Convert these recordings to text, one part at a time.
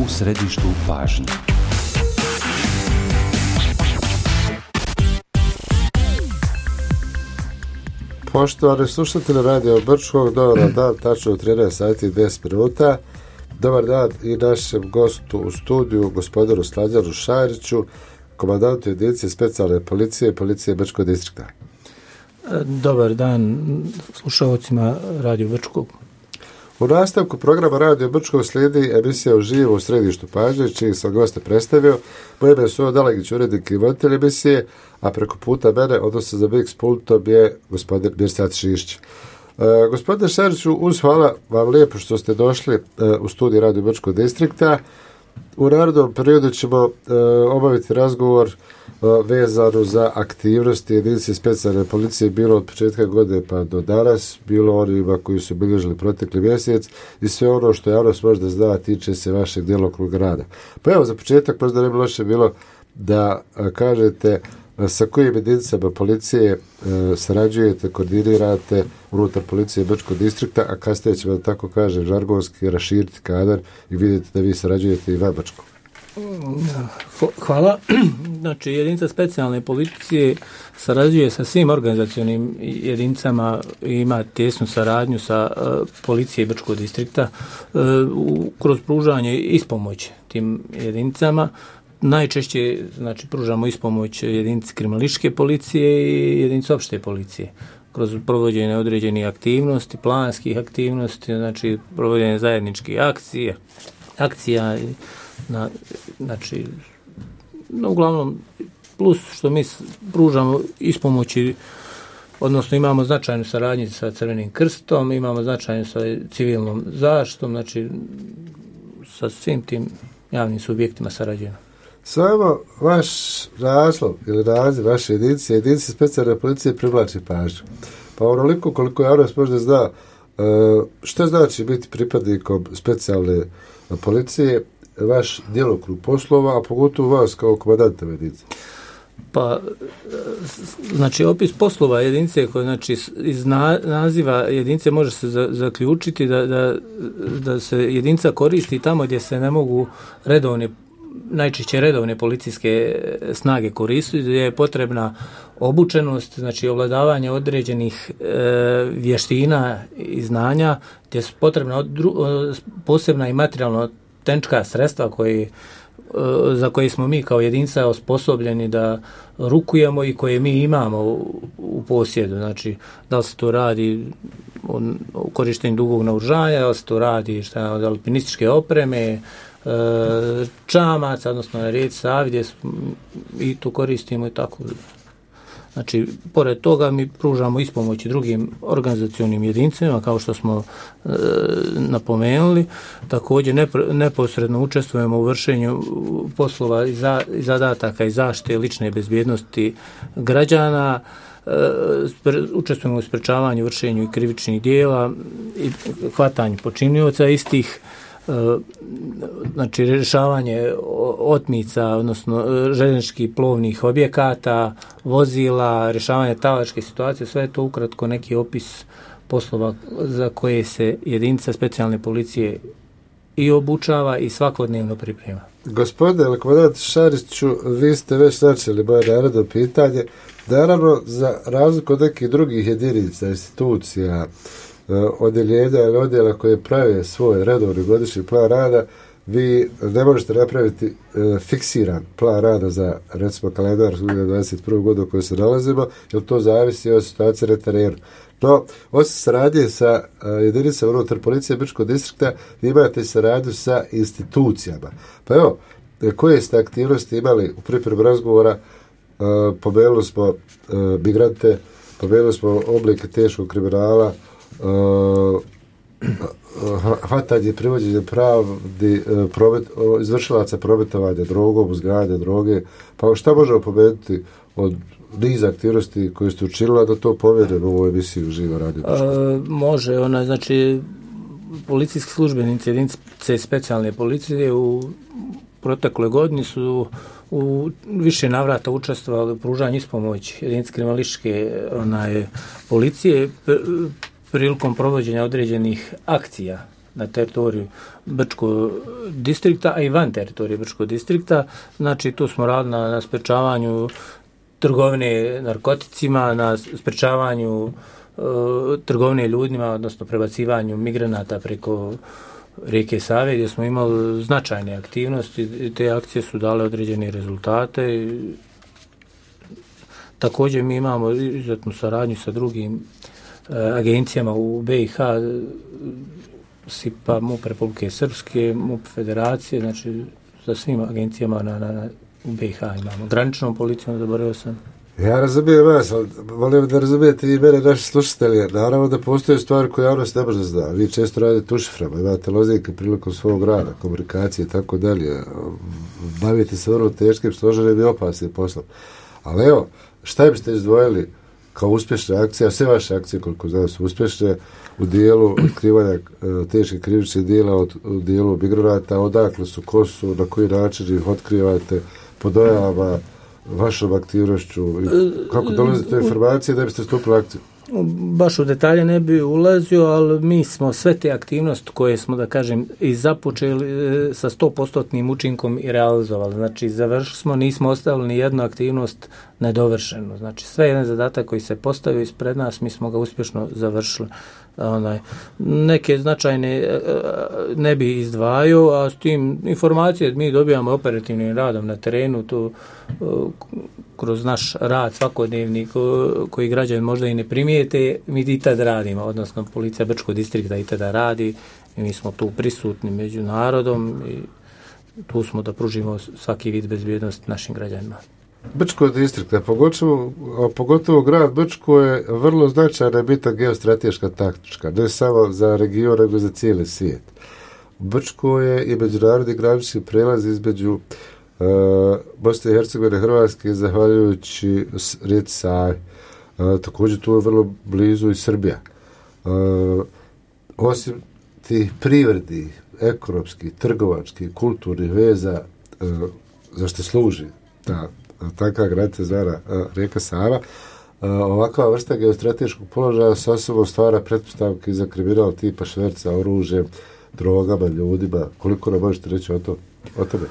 u središtu pažnje. Poštovani slušatelji Radio Brčkog, dobar dan, tačno u 13 sati i 10 minuta. Dobar dan i našem gostu u studiju, gospodinu Slađanu Šajriću, komandantu jedinice specijalne policije Brčkog distrikta. Dobar dan slušalcima Radio Brčkog. U nastavku programa Radio Brčkog slijedi emisija Uživo u središtu pažnje, čiji sam goste predstavio. Moje ime su Dalegić, urednik i voditelj emisije, a preko puta mene, odnosno za Mix pultom, je gospodin Mirsad Šišć. Gospodine Šariću, hvala vam lijepo što ste došli u studiju Radio Brčkog distrikta. U narednom periodu ćemo obaviti razgovor vezano za aktivnosti jedinice specijalne policije, bilo od početka godine pa do danas, bilo onima koji su bilježili protekli mjesec i sve ono što javnost možda zna tiče se vašeg djelokruga rada. Pa evo, za početak možda ne bi loše bilo da kažete sa kojim jedinicama policije sarađujete, koordinirate unutar policije Brčkog distrikta, a kasnije ćemo, da tako kažem, žargonski raširiti kadar i vidjeti da vi sarađujete i van Brčkog. Hvala. Znači, jedinica specijalne policije sarađuje sa svim organizacionim jedinicama i ima tesnu saradnju sa policije Brčkog distrikta kroz pružanje ispomoći tim jedinicama. Najčešće, znači, pružamo ispomoć jedinici kriminalističke policije i jedinici opšte policije kroz provođenje određenih aktivnosti, planskih aktivnosti, znači provođenje zajedničkih akcija, znači, uglavnom, plus što mi pružamo ispomoći, odnosno imamo značajnu saradnju sa Crvenim krstom, imamo značajnu sa civilnom zaštitom, znači sa svim tim javnim subjektima sarađujemo. Samo vaš naslov ili naziv vaše jedinice specijalne policije privlači pažnju. Pa onoliko koliko javnost možda zna što znači biti pripadnikom specijalne policije, vaš djelokrug poslova, a pogotovo vas kao komandanta jedinice. Pa, znači, opis poslova jedinice, koji, znači, iz naziva jedinice može se zaključiti da se jedinica koristi tamo gdje se ne mogu najčešće redovne policijske snage koristiti, gdje je potrebna obučenost, znači ovladavanje određenih vještina i znanja, gdje je potrebna posebna i materijalno tehnička sredstva za koje smo mi kao jedinica osposobljeni da rukujemo i koje mi imamo u posjedu. Znači, da li se to radi o korištenju dugog naoružanja, da li se to radi od alpinističke opreme, čamaca, odnosno rijeci Savi, gdje i to koristimo i tako. Znači, pored toga mi pružamo ispomoći drugim organizacionim jedinicama, kao što smo napomenuli. Također neposredno učestvujemo u vršenju poslova i zadataka i zaštite lične bezbjednosti građana, učestvujemo u sprečavanju, vršenju i krivičnih dijela i hvatanju počinioca istih, znači rješavanje otmica, odnosno željezničkih plovnih objekata, vozila, rješavanje talačke situacije, sve je to ukratko neki opis poslova za koje se jedinica specijalne policije i obučava i svakodnevno priprema. Gospodine komandant Šariću, vi ste već načeli moje naredno pitanje. Naravno, za razliku od nekih drugih jedinica, institucija, odjeljenja ili odjela koje prave svoj redovni godišnji plan rada, vi ne možete napraviti fiksiran plan rada za, recimo, kalendar 2021. godinu u kojoj se nalazimo, jer to zavisi od situacije na terenu. No, osim saradnje sa jedinicama unutar policije Brčkog distrikta, vi imate saradnju sa institucijama. Pa evo, koje ste aktivnosti imali u pripremu razgovora? Pomenuli smo migrante, pomenuli smo oblike teškog kriminala, hvatanje i privođenje pravdi, izvršilaca prometovanja drogom, uzgajanja droge. Pa šta možemo pomenuti od niza aktivnosti koje ste učinila da to povedemo u ovoj emisiji Uživo Radio Brčkog? Može, znači policijski službenici jedinice specijalne policije u protekle godini su u više navrata učestvovali u pružanju ispomoći jedinice kriminalističke policije prilikom provođenja određenih akcija na teritoriju Brčkog distrikta, a i van teritorije Brčkog distrikta. Znači, tu smo radili na sprečavanju trgovine narkoticima, na sprečavanju trgovine ljudima, odnosno prebacivanju migranata preko rijeke Save, gdje smo imali značajne aktivnosti i te akcije su dale određene rezultate. Također mi imamo izuzetnu saradnju sa drugim agencijama u BiH, SIPA, MUP Republike Srpske, MUP Federacije, znači sa svim agencijama u BiH imamo. Graničnom policijom, zaboravio sam. Ja razumijem vas, ali volim da razumijete i mene, naši slušatelji. Naravno da postoje stvari koje javnost ne može zna. Vi često radite u šiframa, imate lozinke prilikom svog rada, komunikacije i tako dalje. Bavite se vrlo teškim, složenim i opasnim poslom. Ali evo, šta biste izdvojili kao uspješne akcije, a sve vaše akcije koliko znam su uspješne u dijelu otkrivanja teških krivičnih dijela, u dijelu migranata, odakle su, ko su, na koji način ih otkrivate, po dojavama, vašom aktivnošću, kako dolazite do informacije da biste stupili akciju? Baš u detalje ne bi ulazio, ali mi smo sve te aktivnosti koje smo, da kažem, i započeli sa 100% učinkom i realizovali. Znači, završili smo, nismo ostavili ni jednu aktivnost nedovršenu. Znači, sve jedan zadatak koji se postavio ispred nas, mi smo ga uspješno završili. Neke značajne ne bi izdvajao, a s tim informacije mi dobijamo operativnim radom na terenu, tu kroz naš rad svakodnevni koji građani možda i ne primijete, mi i tad radimo, odnosno policija Brčkog distrikta i tada radi i mi smo tu prisutni među narodom i tu smo da pružimo svaki vid bezbjednosti našim građanima. Brčkog distrikta, pogotovo grad Brčko je vrlo značajna bitna geostrateška taktička, ne samo za region, nego za cijeli svijet. Brčko je i međunarodni granični prelaz između Bosne i Hercegovine i Hrvatske zahvaljujući rijeci Savi. Također tu je vrlo blizu i Srbija. Osim tih privrednih, ekonomskih, trgovačkih, kulturnih veza za što služi takva granica zvana rijeka Sava, ovakva vrsta geostrateškog položaja sa sobom stvara pretpostavke za kriminal tipa šverca oružjem, drogama, ljudima. Koliko nam možete reći o tome?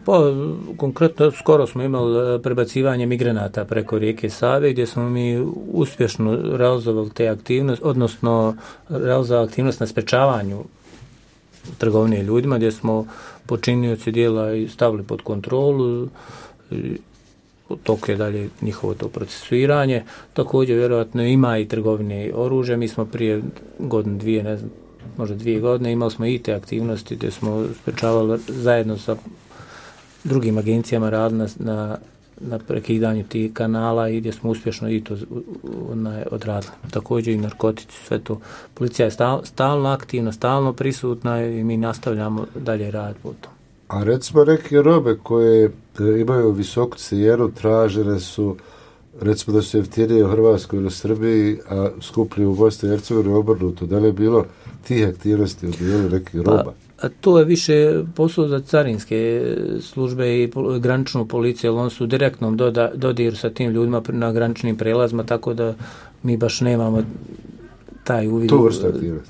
Pa, konkretno, skoro smo imali prebacivanje migranata preko rijeke Save, gdje smo mi uspješno realizovali te aktivnosti, odnosno realizovali aktivnost na sprečavanju trgovine ljudima, gdje smo počinioci dijela i stavili pod kontrolu, toko je dalje njihovo to procesuiranje. Također, vjerojatno, ima i trgovine oružja. Mi smo prije godinu, dvije, ne znam, možda 2 godine, imali smo i te aktivnosti gdje smo sprečavali zajedno sa drugim agencijama radili na prekidanju tih kanala i gdje smo uspješno i to odradili. Također i narkotici, sve to. Policija je stalno aktivna, stalno prisutna i mi nastavljamo dalje raditi po tom. A recimo neke robe koje imaju visoku cijenu tražene su, recimo da su jeftinije u Hrvatskoj ili u Srbiji, a skuplje u Bosni i Hercegovini obrnuto. Da li je bilo tih aktivnosti u dijelu nekih roba? A to je više posao za carinske službe i graničnu policiju, ali oni su u direktnom dodiru sa tim ljudima na graničnim prelazima, tako da mi baš nemamo taj uvid u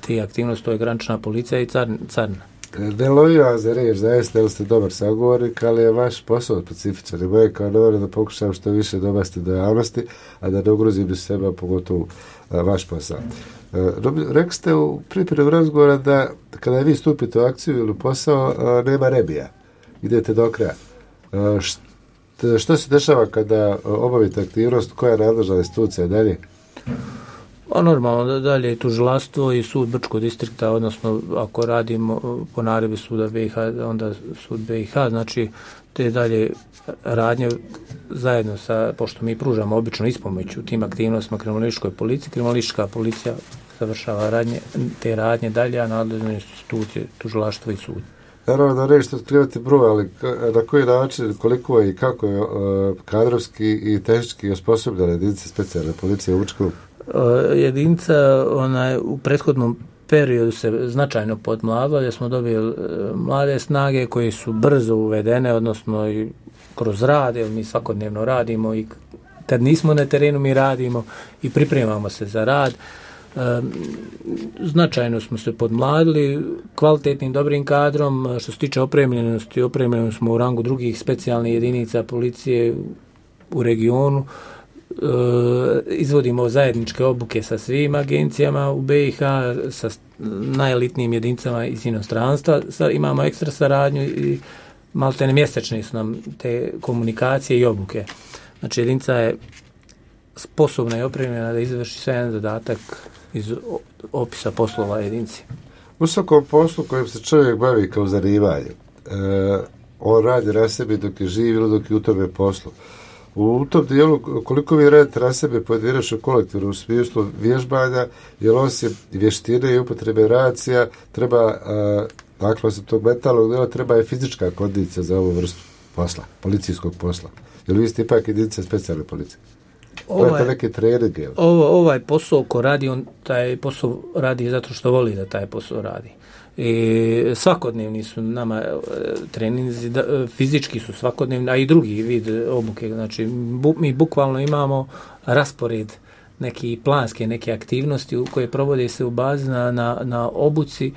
te aktivnosti, to je granična policija i carina. Ne lovim vas za reč, zaista, jer ste dobar sagovornik, ali je vaš posao specifičan i moje kao novinar da pokušam što više dobasti do javnosti, a da ne ugrozim sebe, pogotovo vaš posao. Rekli ste u pripremu razgovora da kada vi stupite u akciju ili posao, nema rebija, idete do kraja. Što se dešava kada obavite aktivnost, koja je nadležna institucija dalje? A normalno, dalje je tužilaštvo i sud Brčkog distrikta, odnosno ako radimo po naredbi suda BiH, onda sud BiH, znači te dalje radnje zajedno sa, pošto mi pružamo obično ispomoć u tim aktivnostima kriminalističkoj policiji, kriminalistička policija završava te radnje dalje, a nadležne institucije, tužilaštvo i sud. Naravno da nešto otkrivati broj, ali na koji način, koliko je i kako je kadrovski i tehnički osposobljena jedinica specijalne policije u Brčkom? Jedinica u prethodnom periodu se značajno podmladila, gdje smo dobili mlade snage koje su brzo uvedene, odnosno i kroz rad, jer mi svakodnevno radimo i kad nismo na terenu mi radimo i pripremamo se za rad. Značajno smo se podmladili kvalitetnim, dobrim kadrom. Što se tiče opremljenosti, opremljeni smo u rangu drugih specijalnih jedinica policije u regionu. Izvodimo zajedničke obuke sa svim agencijama u BiH, sa najelitnijim jedinicama iz inostranstva. Imamo ekstra saradnju i maltene mjesečne su nam te komunikacije i obuke. Znači jedinica je sposobna i opremljena da izvrši sve jedan zadatak iz opisa poslova jedinici. U svakom poslu kojim se čovjek bavi kao zanimanje, on radi na sebi dok je živ ili dok je u tome poslu. U tom dijelu, koliko vi radite na sebe pojedinačno kolektivno u smislu vježbanja, jer osim vještine i upotrebe racija, treba, dakle, osim tog mentalnog dijela, treba i fizička kondicija za ovu vrstu posla, policijskog posla. Jer vi ste ipak jedinica specijalne policije. Neke treninge. Ovaj posao ko radi, on taj posao radi zato što voli da taj posao radi. I svakodnevni su nama treninzi, fizički su svakodnevni, a i drugi vid obuke. Znači, mi bukvalno imamo raspored neki planske, neke aktivnosti koje provode se u bazi na obuci,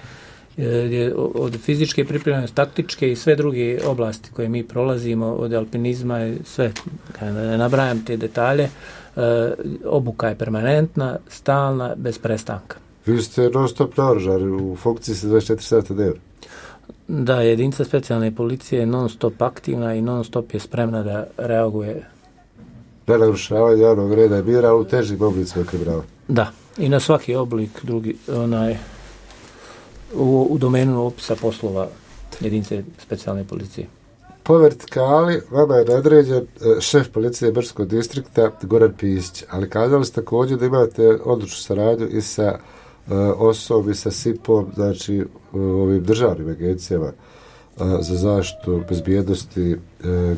od fizičke pripremljenosti, taktičke i sve druge oblasti koje mi prolazimo, od alpinizma i sve, ne nabrajam te detalje, obuka je permanentna, stalna, bez prestanka. Vi ste non stop naoružani, u funkciji ste 24 sata dnevno. Da, jedinica specijalne policije je non stop aktivna i non stop je spremna da reaguje. Na narušavanje javnog reda i mira, ali u težim oblicima kriminala. Da, i na svaki oblik drugi, u domenu opisa poslova jedinice specijalne policije. Po vertikali vama je nadređen šef policije Brčkog distrikta Goran Pisić, ali kazali ste također da imate odličnu saradnju i sa osobom i sa SIP-om, znači ovim državnim agencijama za zaštitu bezbjednosti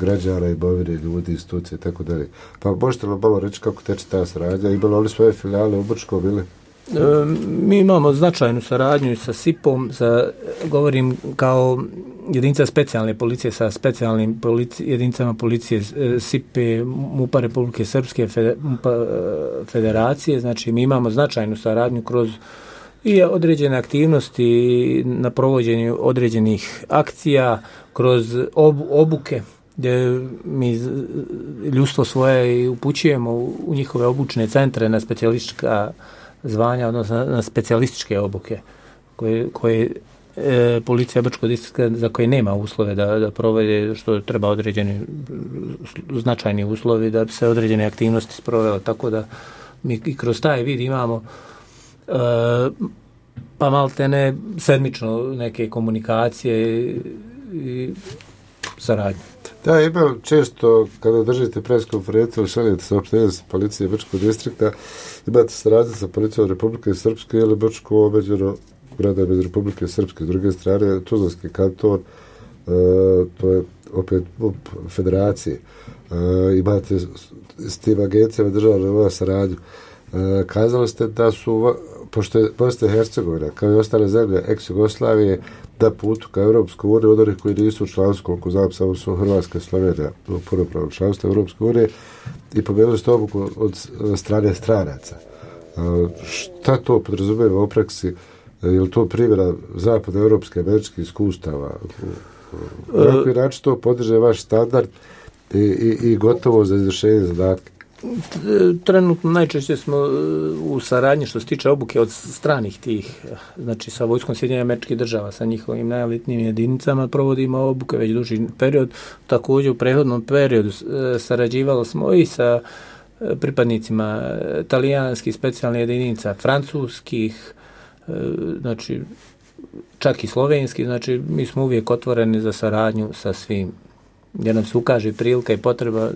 građana, imovine, ljudi, institucije i tako dalje. Pa možete li malo reći kako teče ta saradnja? Imali oni svoje filijale u Brčkom ili? Mi imamo značajnu saradnju sa SIP-om, govorim kao jedinica specijalne policije sa specijalnim jedinicama policije SIP-e, MUP-a Republike Srpske, MUP-a Federacije. Znači mi imamo značajnu saradnju kroz i određene aktivnosti na provođenju određenih akcija, kroz obuke gdje mi ljudstvo svoje upućujemo u njihove obučne centre na specijalistička zvanja, odnosno na specijalističke obuke koje policija Brčkog distrikta za koje nema uslove da provede, što treba određeni značajni uslovi da bi se određene aktivnosti sprovele, tako da mi i kroz taj vid imamo pa maltene sedmično neke komunikacije i saradnje. Da, imam često kada držite pres konferenciju, šaljete saopštenje sa policije Brčkog distrikta, imate saradnju sa policijom Republike Srpske ili Brčko omeđeno grada bez Republike Srpske. S druge strane, Tuzlanski kanton, to je opet federacije. Imate s tim agencijama državne saradnju. Kazali ste da su, pošto je Bosna i Hercegovina, kao i ostale zemlje ex-Jugoslavije, da putu ka Europskoj uniji, od onih koji nisu u članstvu, koliko znam, samo su Hrvatska i Slovenija u punopravnom članstvu Europske unije, i pomenuli ste obuku od strane stranaca. Šta to podrazumijeva u praksi? Je li to primjera zapadnoevropske američkih iskustava? Na koji način to podiže vaš standard i gotovo za izvršenje zadatka? Trenutno najčešće smo u saradnji što se tiče obuke od stranih tih, znači sa vojskom Sjedinjenih Američkih Država, sa njihovim najelitnijim jedinicama provodimo obuke već duži period. Također u prethodnom periodu sarađivali smo i sa pripadnicima talijanskih specijalnih jedinica, francuskih, znači čak i slovenski, znači mi smo uvijek otvoreni za saradnju sa svim. Jer nam se ukaže prilika i potreba,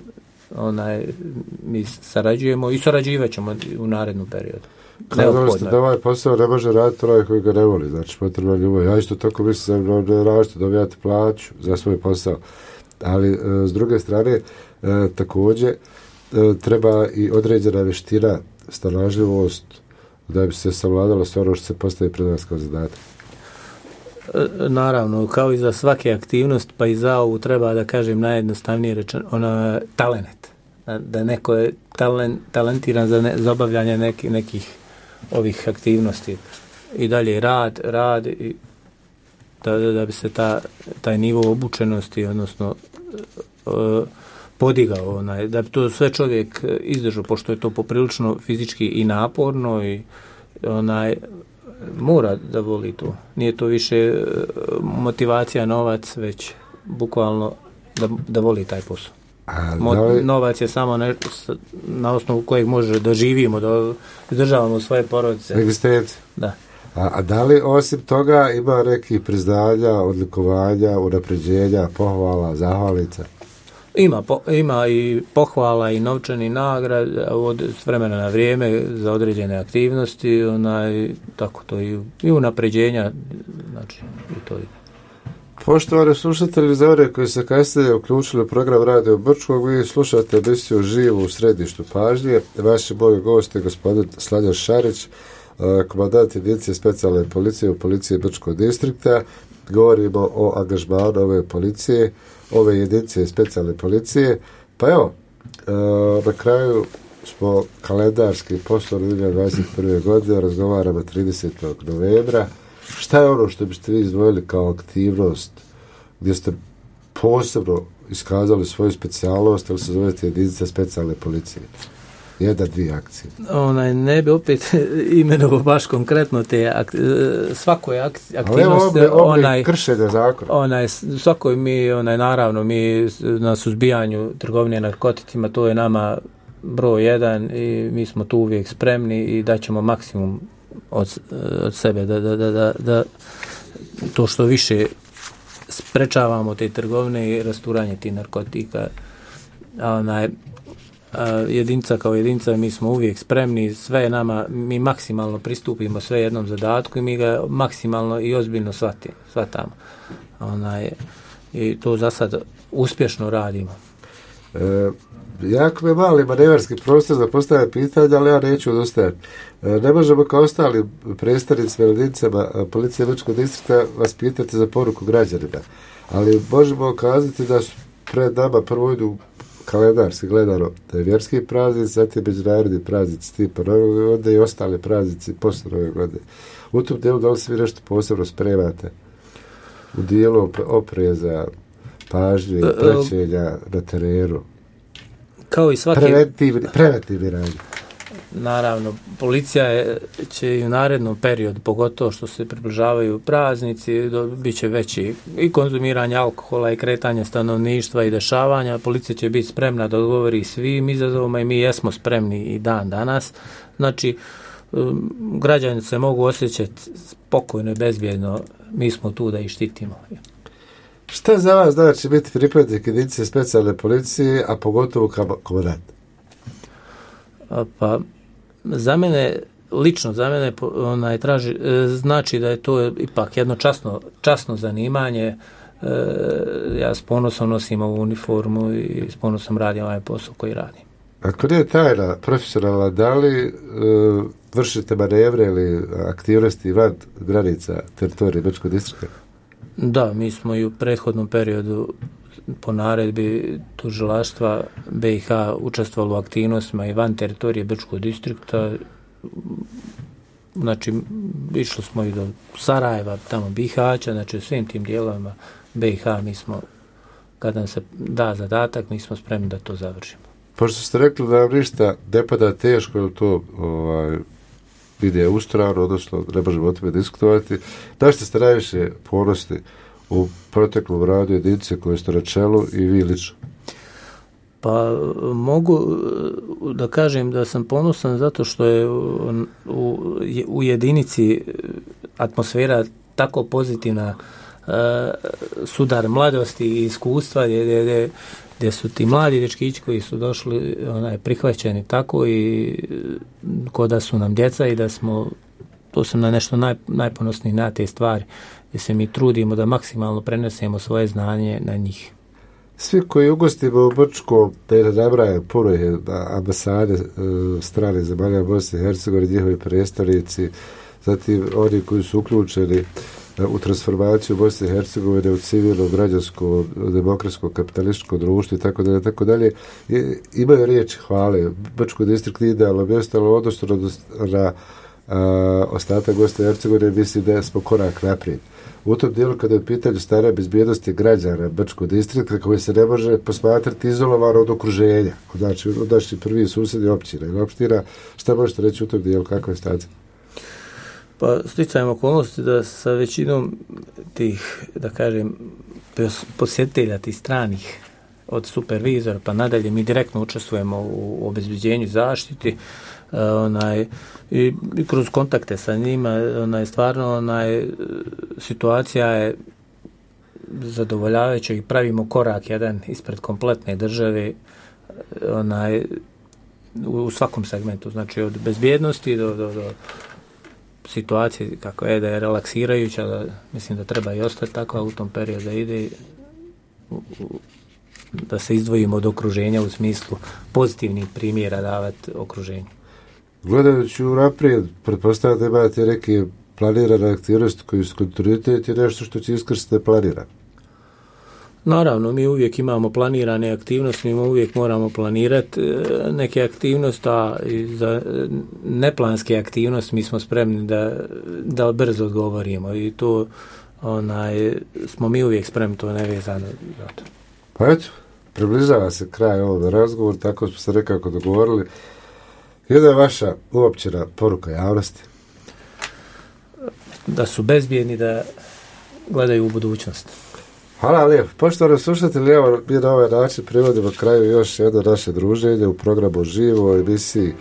mi sarađujemo i sarađivat ćemo u narednom periodu. Kazali ste da ovaj posao ne može raditi onaj koji ga ne voli, znači potrebno ljubav. Ja isto tako mislim da radite, dobijate plaću za svoj posao, ali s druge strane također treba i određena vještina, snalažljivost da bi se savladalo sve ono što se postavi pred nas kao zadatak. Naravno, kao i za svake aktivnost, pa i za ovu treba da kažem najjednostavnije rečeno, talenat. Da neko je talentiran za obavljanje nekih ovih aktivnosti. I dalje rad i da bi se taj nivo obučenosti, odnosno podigao, da bi to sve čovjek izdržao, pošto je to poprilično fizički i naporno i mora da voli to. Nije to više motivacija, novac, već bukvalno da voli taj posao. Novac je samo na osnovu kojeg može da živimo, da izdržavamo svoje porodice. Egzistencija. Da. A da li osim toga ima nekih priznanja, odlikovanja, unapređenja, pohvala, zahvalnica? Ima i pohvala i novčani nagrad s vremena na vrijeme za određene aktivnosti, tako to i unapređenja, znači i to je. Poštovani slušatelji, za one koji se kasnije uključili u program Radio Brčkog, vi slušate emisiju Živo u središtu pažnje. Vaši moji gosti je gospodin Sladjan Šarić, komandant jedinice specijalne policije u policiji Brčkog distrikta. Govorimo o angažmanu ove jedinice specijalne policije. Pa evo, na kraju smo kalendarski poslovni 2021. godine, razgovaramo 30. novembra. Šta je ono što biste vi izdvojili kao aktivnost gdje ste posebno iskazali svoju specijalnost, ili se zovete jedinica specijalne policije? 1-2 akcije. Ne bi opet imenovao baš konkretno svakoj aktivnosti. Kršenja zakona. Svakoj naravno, mi na suzbijanju trgovine narkoticima, to je nama broj 1 i mi smo tu uvijek spremni i daćemo maksimum od sebe da to što više sprečavamo te trgovine i rasturanje tih narkotika. Jedinca kao jedinca, mi smo uvijek spremni, sve nama, mi maksimalno pristupimo sve jednom zadatku i mi ga maksimalno i ozbiljno shvatamo. I to za sad uspješno radimo. Jako je mali manevarski prostor da postavlja pitanja, ali ja neću odustajati. Ne možemo kao ostali predstavnici jedinicama policije Brčkog distrikta vas pitati za poruku građanima, ali možemo kazati da su pred nama prvo idu kalendarski gledano da je vjerski praznic, zatim međunarodni praznici tipa Nove godine i ostali praznici poslije Nove godine. U tom dijelu da li se vi nešto posebno spremate? U dijelu opreza, pažnje, praćenja na terenu? Kao i svaki preventivni radnje. Naravno, policija će i u narednom periodu, pogotovo što se približavaju praznici, bit će veći i konzumiranje alkohola i kretanje stanovništva i dešavanja. Policija će biti spremna da odgovori svim izazovima i mi jesmo spremni i dan danas. Znači, građani se mogu osjećati spokojno i bezbjedno, mi smo tu da ih štitimo. Šta za vas znači biti pripadnik jedinice specijalne policije, a pogotovo komandant? Pa, za mene znači da je to ipak jedno časno zanimanje. Ja s ponosom nosim ovu uniformu i s ponosom radim ovaj posao koji radim. Ako nije tajna profesionalna, da li vršite manevre ili aktivnosti van granica teritorije Brčkog distrikta? Da, mi smo i u prethodnom periodu po naredbi tužilaštva BiH učestvovali u aktivnostima i van teritorije Brčkog distrikta. Znači, išli smo i do Sarajeva, tamo Bihaća, znači u svim tim dijelovima BiH mi smo, kada nam se da zadatak, mi smo spremni da to završimo. Pošto ste rekli da vam ništa ne pada teško, ili to ide ustrano, odnosno ne možemo o tome diskutovati, da ste najviše ponosni u proteklom radu jedinice koje ste na čelu i vi lično? Pa mogu da kažem da sam ponosan zato što je u jedinici atmosfera tako pozitivna, sudar mladosti i iskustva gdje su ti mladi dečkići koji su došli prihvaćeni tako i ko da su nam djeca i da smo, to sam na nešto najponosniji na te stvari, gdje se mi trudimo da maksimalno prenesemo svoje znanje na njih. Svi koji ugostimo u Brčkom, da ne nabrajam, puno je ambasade strane zemalja Bosne i Hercegovine, njihovi predstavnici, zatim oni koji su uključeni u transformaciju Bosne i Hercegovine u civilno, građansko, demokratsko, kapitalističko društvo i tako dalje, imaju riječi hvale. Brčko distrikt je idealno mjesto, ali odnosno na ostatak Bosne i Hercegovine, mislim da smo korak naprijed. U tom dijelu kada je u pitanju stanja bezbjednosti građana Brčkog distrikta, koji se ne može posmatrati izolovano od okruženja, znači od naših prvih susjednih općina ili opština, šta možete reći u tom dijelu, kakva je stacija? Pa sticajem okolnosti da sa većinom tih, da kažem, posjetitelja tih stranih, od supervizora pa nadalje, mi direktno učestvujemo u obezbeđenju zaštiti, i kroz kontakte sa njima, stvarno situacija je zadovoljavajuća i pravimo korak jedan ispred kompletne države, u svakom segmentu, znači od bezbjednosti do situacije kako je da je relaksirajuća, da mislim da treba i ostati tako, a u tom periodu da ide da se izdvojimo od okruženja u smislu pozitivnih primjera davati okruženju. Gledajući naprijed, pretpostavljam da imate neke planirane aktivnosti koji su kontinuitet i nešto što će iskrstiti planirano. Naravno, mi uvijek imamo planirane aktivnosti, mi uvijek moramo planirati neke aktivnosti, a za neplanske aktivnosti mi smo spremni da brzo odgovorimo i to smo mi uvijek spremni, to nevezano za to. Pa eto, približava se kraj ovog razgovora, tako smo se nekako dogovorili. Jedna je vaša uopćena poruka javnosti? Da su bezbjedni, da gledaju u budućnost. Hvala lijepo. Poštovani slušatelji, evo mi na ovaj način privodimo kraju još jedno naše druženje u programu Živo, emisiji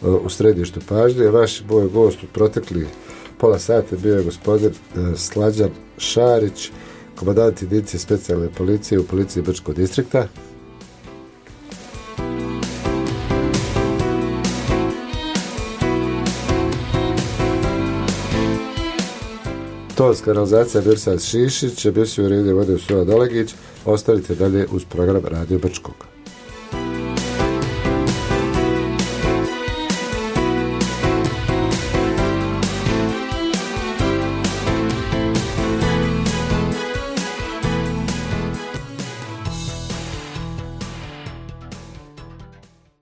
u središtu pažnje. Vaš moj gost u protekli pola sata bio je gospodin Slađan Šarić, komandant jedinice specijalne policije u policiji Brčkog distrikta. Tonska realizacija Mirsad Šišić, emisiju redije vode Sula Dalegić. Ostanite dalje uz program Radio Brčkog.